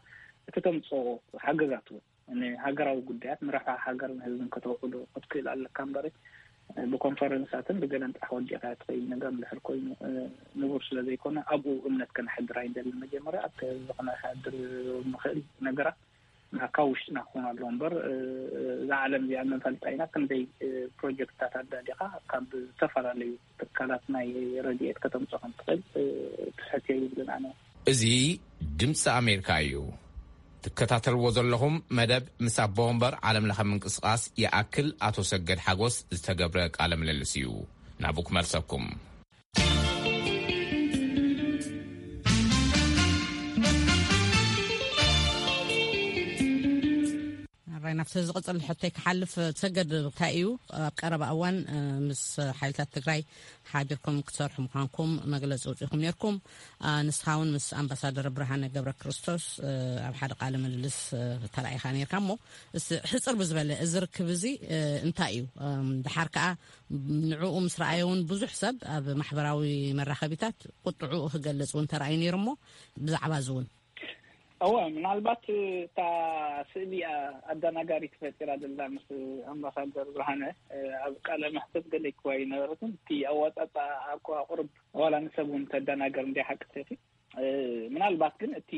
እቲ ተምጽኦ ሓገዛት እውን ንሃገራዊ ጉዳያት፣ ንረብሓ ሃገርን ህዝብን ከተውዕሎ ክትክእል ኣለካ እምበር፣ ብኮንፈረንሳትን ብገለን ጥራሕ ወዲእካ ትኸይድ ነገር እንድሕር ኮይኑ፣ ንቡር ስለ ዘይኮነ፣ ኣብኡ እምነት ከነሕድር ኣይንደልን። መጀመርያ ኣብቲ ህዝቢ ከነሕድር ንኽእል ነገራት ካብ ውሽጥና ክኾኑ ኣለዎ እምበር፣ እዛ ዓለም እዚኣ ንፈልጣ ኢና። ክንደይ ፕሮጀክትታት ኣዳሊኻ ካብ ዝተፈላለዩ ትካላት ናይ ረድኤት ከተምፅኦ ከም ትኽእል ትሕት የብልን። ኣነ እዚ ድምፂ ኣሜሪካ እዩ። ትከታተልዎ ዘለኹም መደብ ምስ ኣቦ ወንበር ዓለም ለኸ ምንቅስቃስ ይኣክል ኣቶ ሰገድ ሓጎስ ዝተገብረ ቃለ ምልልስ እዩ። ናብኡ ክመልሰኩም። ራይ ናብቲ ዝቕፅል ሕቶይ ክሓልፍ፣ ሰገድ፣ እንታይ እዩ ኣብ ቀረባ እዋን ምስ ሓይልታት ትግራይ ሓቢርኩም ክትሰርሑ ምዃንኩም መግለፂ ኣውፂእኩም ነርኩም? ንስኻ እውን ምስ ኣምባሳደር ብርሃነ ገብረ ክርስቶስ ኣብ ሓደ ቃለ ምልልስ ተራኢኻ ነርካ። እሞ ሕፅር ብዝበለ፣ እዚ ርክብ እዚ እንታይ እዩ? ድሓር ከዓ ንዕኡ ምስ ረኣዮ እውን ብዙሕ ሰብ ኣብ ማሕበራዊ መራኸቢታት ቁጥዕኡ ክገልፅ እውን ተራእዩ ነይሩ። እሞ ብዛዕባ እዚ እውን? እወ፣ ምናልባት እታ ስእሊ ኣደናጋሪ ተፈጢራ ዘላ ምስ ኣምባሳደር ብርሃነ ኣብ ቃለ መሕተት ገለ ክዋ ይነበረትን፣ እቲ ኣዋፃፃ ኣቋ ቁርብ ዋላ ንሰብ እውን ተደናገር እንዲ ሓቂ ተቲ ምናልባት ግን እቲ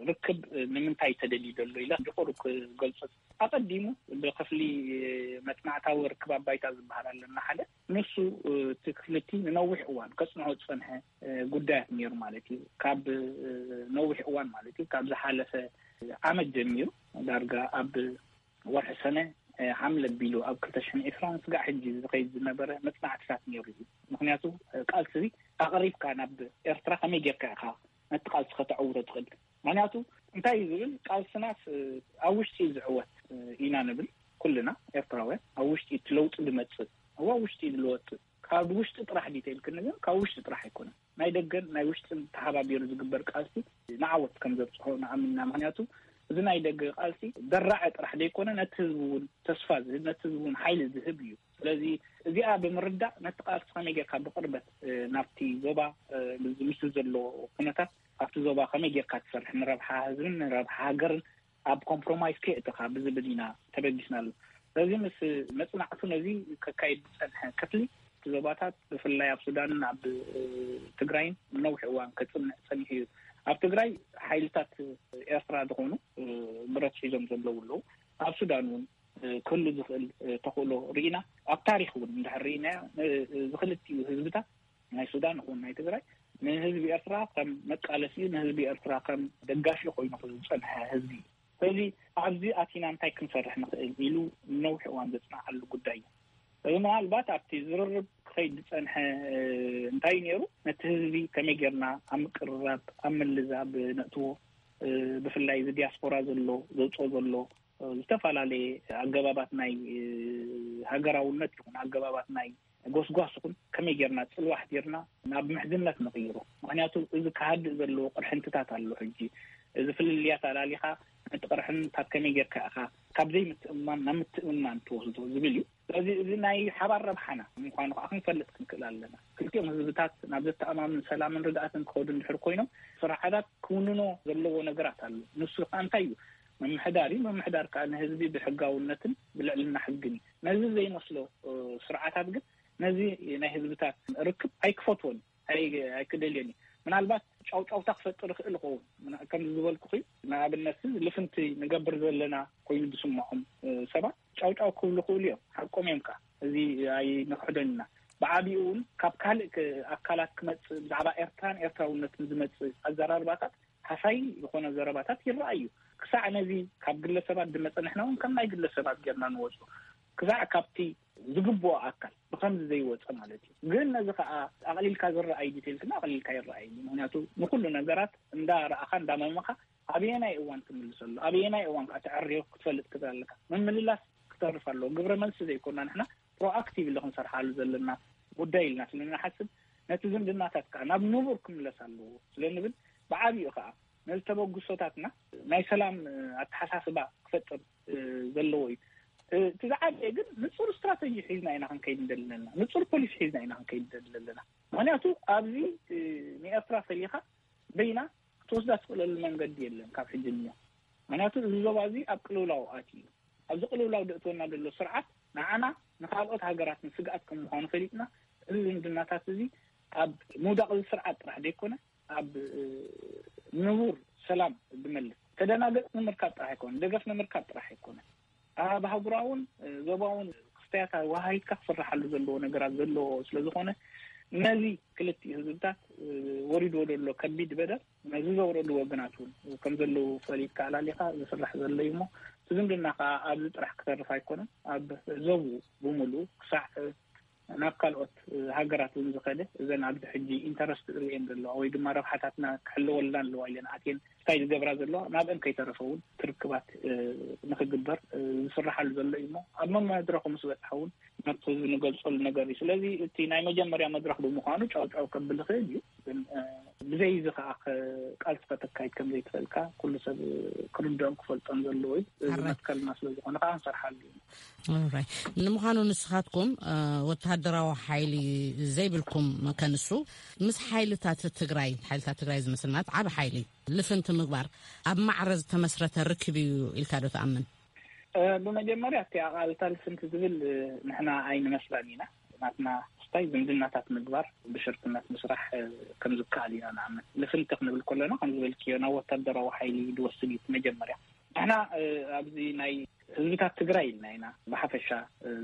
ርክብ ንምንታይ ተደልዩ ዘሎ ኢለ ድቁር ክገልጾ፣ ኣቐዲሙ ብክፍሊ መጽናዕታዊ ርክብ ኣባይታ ዝበሃል ኣለና ሓደ፣ ንሱ እቲ ክፍልቲ ንነዊሕ እዋን ከጽንዖ ዝጸንሐ ጉዳያት ነይሩ ማለት እዩ። ካብ ነዊሕ እዋን ማለት እዩ፣ ካብ ዝሓለፈ ዓመት ጀሚሩ ዳርጋ ኣብ ወርሒ ሰነ ሓምለ ቢሉ ኣብ ክልተ ሽሕን ዕስራን ስጋዕ ሕጂ ዝኸይድ ዝነበረ መጽናዕትታት ነይሩ እዩ። ምክንያቱ ቃልሲ ኣቕሪብካ ናብ ኤርትራ ከመይ ጌርካ ኢኻ ነቲ ቃልሲ ከተዕውቶ ትኽእል? ምክንያቱ እንታይ እዩ ዝብል፣ ቃልስናስ ኣብ ውሽጢ እዩ ዝዕወት ኢና ንብል ኩልና ኤርትራውያን። ኣብ ውሽጢ እቲ ለውጢ ዝመጽእ፣ ኣብ ውሽጢ እዩ ዝለወጥ። ካብ ውሽጢ ጥራሕ ዲተይል ክንብል፣ ካብ ውሽጢ ጥራሕ ኣይኮነን። ናይ ደገን ናይ ውሽጥን ተሓባቢሩ ዝግበር ቃልሲ ንዓወት ከም ዘብፅሖ ንኣምንና። ምክንያቱ እዚ ናይ ደገ ቃልሲ ደራዐ ጥራሕ ዘይኮነ፣ ነቲ ህዝቢ እውን ተስፋ ዝህብ፣ ነቲ ህዝቢ እውን ሓይሊ ዝህብ እዩ። ስለዚ እዚኣ ብምርዳእ ነቲ ቃልሲ ከመይ ጌርካ ብቅርበት ናብቲ ዞባ፣ ምስ ዘሎ ኩነታት ኣብቲ ዞባ ከመይ ጌርካ ትሰርሕ፣ ንረብሓ ህዝብን ንረብሓ ሃገርን ኣብ ኮምፕሮማይዝ ከየእትኻ ብዝብል ኢና ተበጊስናሉ። ስለዚ ምስ መጽናዕቱ ነዚ ከካይድ ዝጸንሐ ክፍሊ እቲ ዞባታት ብፍላይ ኣብ ሱዳንን ኣብ ትግራይን ነዊሕ እዋን ከጽንዕ ጸኒሑ እዩ። ኣብ ትግራይ ሓይልታት ኤርትራ ዝኾኑ ብረት ሒዞም ዘለዉ ኣለዉ። ኣብ ሱዳን እውን ክህሉ ዝኽእል ተኽእሎ ርኢና። ኣብ ታሪኽ እውን እንድሕር ርኢናዮ፣ እዚ ክልቲኡ ህዝብታት ናይ ሱዳን ይኹን ናይ ትግራይ ንህዝቢ ኤርትራ ከም መቃለሲኡ፣ ንህዝቢ ኤርትራ ከም ደጋፊ ኮይኑ ዝጸንሐ ህዝቢ እዩ። ስለዚ ኣብዚ ኣቲና እንታይ ክንሰርሕ ንኽእል ኢሉ ነዊሕ እዋን ዘጽንዓሉ ጉዳይ እዩ። እዚ ምናልባት ኣብቲ ዝርርብ ክኸይድ ዝጸንሐ እንታይ እዩ ነይሩ፣ ነቲ ህዝቢ ከመይ ጌርና ኣብ ምቅርራብ፣ ኣብ ምልዛብ ነእትዎ፣ ብፍላይ እዚ ዲያስፖራ ዘሎ ዘውፅኦ ዘሎ ዝተፈላለየ ኣገባባት ናይ ሃገራውነት ይኹን ኣገባባት ናይ ጎስጓስ ይኹን ከመይ ጌርና ጽልዋ ኣሕዲርና ናብ ምሕዝነት ንቕይሮ። ምኽንያቱ እዚ ክሃድእ ዘለዎ ቅርሕንትታት ኣሎ። ሕጂ እዚ ፍልልያት ኣላሊኻ ነቲ ቅርሕንታት ከመይ ጌርካ ኢኻ ካብ ዘይምትእምማን ናብ ምትእምማን ትወስዶ ዝብል እዩ። ስለዚ እዚ ናይ ሓባር ረብሓና ምዃኑ ከዓ ክንፈልጥ ክንክእል ኣለና። ክልቲኦም ህዝብታት ናብ ዘተኣማምን ሰላምን ርግኣትን ክኸዱ እንድሕር ኮይኖም ስርዓታት ክውንኖ ዘለዎ ነገራት ኣሎ። ንሱ ከዓ እንታይ እዩ? ምምሕዳር እዩ። ምምሕዳር ከዓ ንህዝቢ ብሕጋውነትን ብልዕልና ሕግን እዩ። ነዚ ዘይመስሎ ስርዓታት ግን ነዚ ናይ ህዝብታት ርክብ ኣይክፈትዎን፣ ኣይክደልዮን እዩ። ምናልባት ጫውጫውታ ክፈጥር ይኽእል ይኸውን። ከምዚ ዝበልኩ እዩ። ንኣብነት ልፍንቲ ንገብር ዘለና ኮይኑ ዝስምዖም ሰባት ጫውጫው ክብሉ ይኽእሉ እዮም። ሓቆም እዮም ከዓ። እዚ ኣይንክሕዶን ኢና። ብዓቢኡ እውን ካብ ካልእ ኣካላት ክመፅእ፣ ብዛዕባ ኤርትራን ኤርትራውነትን ዝመፅእ ኣዘራርባታት ሃሳይ ዝኾነ ዘረባታት ይረኣዩ። ክሳዕ ነዚ ካብ ግለሰባት ዝመፀ፣ ንሕና እውን ከም ናይ ግለሰባት ጌርና ንወፁ። ክሳዕ ካብቲ ዝግብኦ ኣካል ብኸምዚ ዘይወፀ ማለት እዩ። ግን ነዚ ከዓ ኣቕሊልካ ዝረኣይ ዲቴልስና ኣቕሊልካ ይረኣይ። ምክንያቱ ንኩሉ ነገራት እንዳረኣኻ እንዳመመኻ ኣበየናይ እዋን ትምልሰሉ፣ ኣበየናይ እዋን ከዓ ተዕርዮ ክትፈልጥ ክትለካ ምምልላስ ክተርፍ ኣለዎ። ግብረ መልሲ ዘይኮና ንሕና ፕሮኣክቲቭ ኢለ ክንሰርሓሉ ዘለና ጉዳይ ኢልና ስለ ንሓስብ፣ ነቲ ዝምድናታት ከዓ ናብ ንቡር ክምለስ ኣለዎ ስለ ንብል፣ ብዓቢኡ ከዓ ነዚ ተበግሶታትና ናይ ሰላም ኣተሓሳስባ ክፈጥር ዘለዎ እዩ። እቲ ዝዓበየ ግን ንፁር ስትራተጂ ሒዝና ኢና ክንከይድ እንደለና፣ ንፁር ፖሊሲ ሒዝና ኢና ክንከይድ እንደለና። ምክንያቱ ኣብዚ ንኤርትራ ፈሊኻ በይና ክትወስዳ ትኽእለሉ መንገዲ የለን ካብ ሕጂ ንዮ። ምክንያቱ እዚ ዞባ እዚ ኣብ ቅልውላው ኣትዩ እዩ። ኣብዚ ቅልውላው ደእትወና ዘሎ ስርዓት ንዓና ንካልኦት ሃገራት ንስግኣት ከም ምዃኑ ፈሊጥና፣ እዚ ዝምድናታት እዚ ኣብ ምውዳቕ እዚ ስርዓት ጥራሕ ዘይኮነ፣ ኣብ ንቡር ሰላም ዝመልስ፣ ተደናገጽ ንምርካብ ጥራሕ ኣይኮነ፣ ደገፍ ንምርካብ ጥራሕ ኣይኮነ፣ ኣብ ሃጉራውን ዞባውን ክስተያት ወሃይትካ ክስራሓሉ ዘለዎ ነገራት ዘለዎ ስለ ዝኾነ፣ ነዚ ክልቲኡ ህዝብታት ወሪድዎ ዘሎ ከቢድ በደል፣ ነዚ ዘውረዱ ወገናት እውን ከም ዘለዉ ፈሊጥካ ኣላሊኻ ዝስራሕ ዘሎ እዩ እሞ፣ እቲ ዝምድና ከዓ ኣብዚ ጥራሕ ክተርፍ ኣይኮነን። ኣብ ዞቡ ብምሉኡ ክሳዕ ናብ ካልኦት ሃገራት እውን ዝኸደ፣ እዘን ኣብዚ ሕጂ ኢንተረስት ዝርእየን ዘለዋ ወይ ድማ ረብሓታትና ክሕለወልና ኣለዋ ኢለን ኣትየን ስታይ ዝገብራ ዘለዋ፣ ናብአን ከይተረፈ እውን ክርክባት ንክግበር ዝስራሓሉ ዘሎ እዩ እሞ፣ ኣብ መመድረኹ ምስ በፅሐ እውን ነቲ ህዝቢ ንገልፀሉ ነገር እዩ። ስለዚ እቲ ናይ መጀመርያ መድረኽ ብምዃኑ ጫው ጫው ከብል ይኽእል እዩ። ግን ብዘይ እዚ ከዓ ቃልሲ ከተካይድ ከም ዘይትኽእልካ ኩሉ ሰብ ክርድኦም ክፈልጦም ዘለዎ እዩ። እዚ መትከልና ስለ ዝኾነ ከዓ ንሰርሓሉ እዩ። ንምዃኑ ንስኻትኩም ወተሃደራዊ ሓይሊ ዘይብልኩም ከንሱ፣ ምስ ሓይልታት ትግራይ፣ ሓይልታት ትግራይ ዝምስልናት ዓብ ሓይሊ ልፍንቲ ምግባር ኣብ ማዕረ ዝተመስረተ ርክብ እዩ ኢልካ ዶ ትኣምን? ብመጀመርያ እቲ ኣቓልታ ልፍንቲ ዝብል ንሕና ኣይንመስላን ኢና። ናትና ስታይ ዝምድናታት ምግባር፣ ብሽርክነት ምስራሕ ከም ዝከኣል ኢና ንኣምን። ልፍንቲ ክንብል ከለና ከም ዝበልክዮ ናብ ወታደራዊ ሓይሊ ዝወስድ እዩ። መጀመርያ ንሕና ኣብዚ ናይ ህዝብታት ትግራይ ኢልና ኢና ብሓፈሻ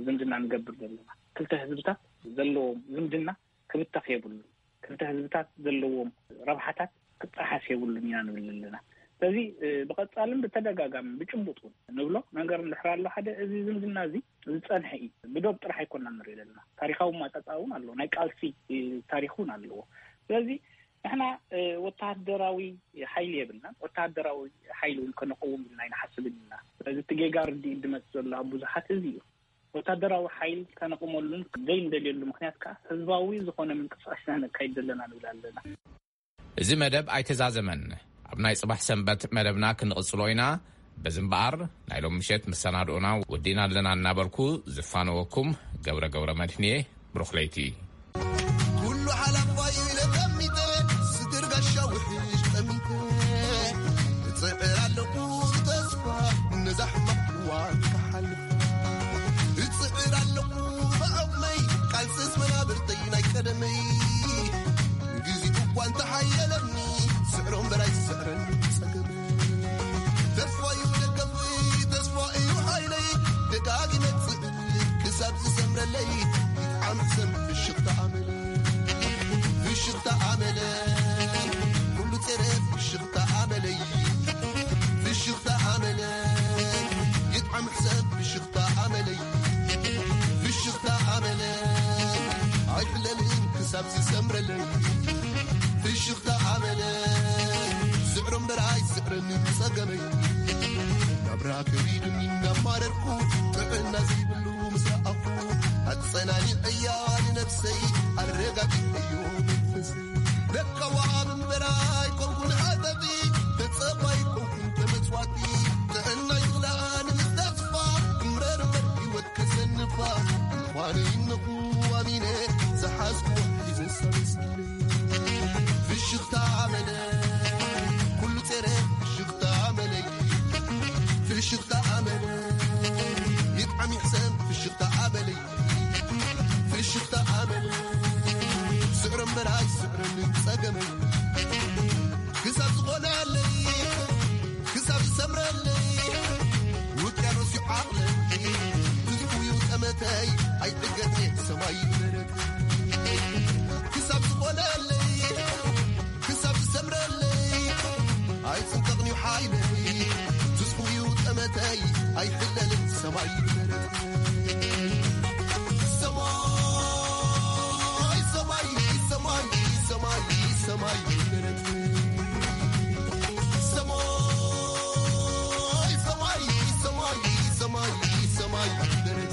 ዝምድና ንገብር ዘለና። ክልተ ህዝብታት ዘለዎም ዝምድና ክብተኽ የብሉ። ክልተ ህዝብታት ዘለዎም ረብሓታት ክጠሓስ የብሉን ኢና ንብል ኣለና። ስለዚ ብቐፃልን ብተደጋጋሚ ብጭቡጥ እውን ንብሎ ነገር እንድሕር ኣሎ ሓደ፣ እዚ ዝምድና እዚ ዝፀንሐ እዩ። ብዶብ ጥራሕ ኣይኮና ንርኢ ዘለና። ታሪካዊ ማፃፃ እውን ኣለዎ። ናይ ቃልሲ ታሪክ እውን ኣለዎ። ስለዚ ንሕና ወተሃደራዊ ሓይሊ የብልናን። ወተሃደራዊ ሓይሊ እውን ከነቀውም ኢልና ኣይንሓስብን ኢና። ስለዚ እቲ ጌጋ ርድኢት ድመፅ ዘሎ ኣብ ብዙሓት እዚ እዩ። ወታደራዊ ሓይል ከነቕመሉን ዘይንደልየሉ ምክንያት ከዓ ህዝባዊ ዝኾነ ምንቅስቃስ ኢና ነካይድ ዘለና ንብል ኣለና። እዚ መደብ ኣይተዛዘመን። ኣብ ናይ ጽባሕ ሰንበት መደብና ክንቕጽሎ ኢና። በዚ እምበኣር ናይ ሎም ምሸት መሰናድኦና ወዲና ኣለና እናበልኩ ዝፋነወኩም ገብረ ገብረ መድህንየ። ብሩኽ ለይቲ። ኩሉ ሓላፋይ ኢለ ጠሚተ፣ ስድር ጋሻ ውሕሽ ጠሚተ፣ እጽዕር ኣለኹ ብተስፋ ነዛ ሕማቕ እዋን ክሓልፍ። እጽዕር ኣለኹ ብዓቕመይ፣ ቃልስስ መናብርተይ ናይ ቀደመይ። ግዜ እኳ እንተሓየለኒ፣ ስዕሮ እምበር ኣይስዕረን ጸገመይ። ተስፋ እዩ ደገፍይ፣ ተስፋ እዩ ሓይለይ፣ ደጋጊመ ክሳብ ዝሰምረለይ። ይጥዓም ሕሰም ፍሽኽታ ኣመለይ፣ ፍሽኽታ ኣመለይ፣ ኩሉ ጸረ ፍሽኽታ ኣመለይ፣ ፍሽኽታ ኣመለይ። ይጥዓም ሕሰም ፍሽኽታ ኣመለይ፣ ፍሽኽታ ኣመለይ። ኣይሕለልን ክሳብ ዝሰምረለይ። ፍሽኽታ ኣመለይ፣ ስዕሮ እምበር ኣይስዕረኒ ጸገመይ። ናብራ ከቢዱኒ እናማረርኩ፣ ጥዕና ዘይብሉ ምስ ረኣኹ፣ ኣጸናኒዐያ ንነብሰይ፣ ኣረጋጊዐዮ መንፈሰይ። ለካዋ እምበር ኣይኮንኩን ሓጠጢ፣ ተጸባይ ኮንኩን ተመጽዋቲ። ጥዕናይ ዝኽልኣ ንምስተስፋ፣ እምረር እምበር ህይወት ከሰንፋ። ምዃነይ እነኹ ኣሚነ፣ ዝሓዝኩ ሒዘ ሰበስኪነ። ፍሽኽታ ኣመለ፣ ኩሉ ጸረ ፍሽኽታ ኣመለይ። ፍሽኽታ ኣመለ፣ ይጥዓም ይሕሰም ፍሽኽታ ኣመለይ። ፍሽኽታ ኣመለ፣ ስዕሮ እምበር ኣይስዕረኒ ጸገመይ። ክሳብ ዝኾነለይ፣ ክሳብ ዝሰምረለይ፣ ውቅያኖስ እዩ ዓቕለይ። ትዝፉ እዩ ጠመተይ፣ ኣይጥገት እየ ሰማይ መረት።